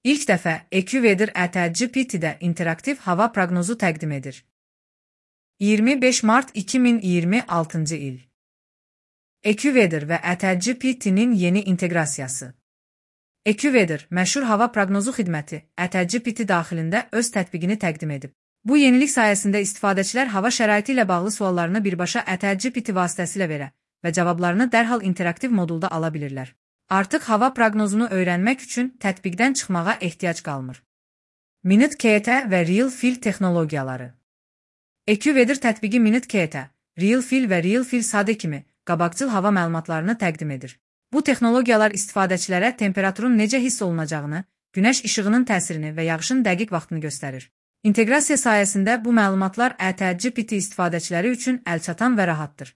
İlk dəfə AccuWeather GPT-də interaktiv hava proqnozu təqdim edir. 25 mart 2026-cı il. AccuWeather və GPT-nin yeni inteqrasiyası. AccuWeather, məşhur hava proqnozu xidməti, GPT daxilində öz tətbiqini təqdim edib. Bu yenilik sayəsində istifadəçilər hava şəraiti ilə bağlı suallarını birbaşa GPT vasitəsilə verə və cavablarını dərhal interaktiv modulda ala bilirlər. Artıq hava proqnozunu öyrənmək üçün tətbiqdən çıxmağa ehtiyac qalmır. Minute-KT və Real-Fill texnologiyaları. AccuWeather tətbiqi Minute-KT, Real-Fill və Real-Fill SAD kimi qabaqcıl hava məlumatlarını təqdim edir. Bu texnologiyalar istifadəçilərə temperaturun necə hiss olunacağını, günəş işığının təsirini və yağışın dəqiq vaxtını göstərir. İnteqrasiya sayəsində bu məlumatlar GPT istifadəçiləri üçün əlçatan və rahatdır.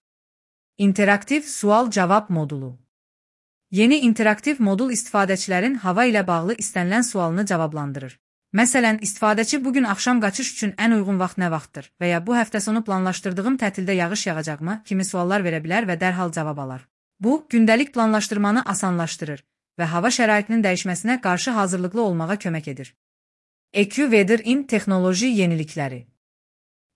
İnteraktiv sual-cavab modulu. Yeni interaktiv modul istifadəçilərin hava ilə bağlı istənilən sualını cavablandırır. Məsələn, istifadəçi bugün axşam qaçış üçün ən uyğun vaxt nə vaxtdır və ya bu həftə sonu planlaşdırdığım tətildə yağış yağacaqmı kimi suallar verə bilər və dərhal cavab alar. Bu, gündəlik planlaşdırmanı asanlaşdırır və hava şəraitinin dəyişməsinə qarşı hazırlıqlı olmağa kömək edir. AccuWeather-in texnoloji yenilikləri.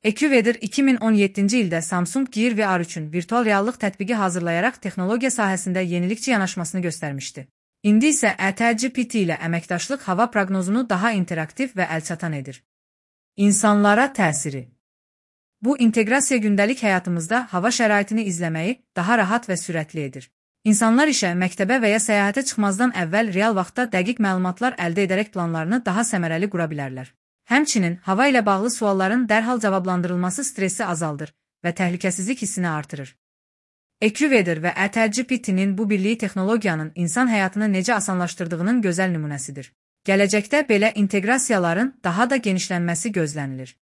AccuWeather 2017-ci ildə Samsung Gear VR üçün virtual reallıq tətbiqi hazırlayaraq texnologiya sahəsində yenilikçi yanaşmasını göstərmişdi. İndi isə GPT ilə əməkdaşlıq hava proqnozunu daha interaktiv və əlçatan edir. İnsanlara təsiri. Bu inteqrasiya gündəlik həyatımızda hava şəraitini izləməyi daha rahat və sürətli edir. İnsanlar işə, məktəbə və ya səyahətə çıxmazdan əvvəl real vaxtda dəqiq məlumatlar əldə edərək planlarını daha səmərəli qura bilərlər. Həmçinin, hava ilə bağlı sualların dərhal cavablandırılması stressi azaldır və təhlükəsizlik hissini artırır. AccuWeather və GPT-nin bu birliyi texnologiyanın insan həyatını necə asanlaşdırdığının gözəl nümunəsidir. Gələcəkdə belə inteqrasiyaların daha da genişlənməsi gözlənilir.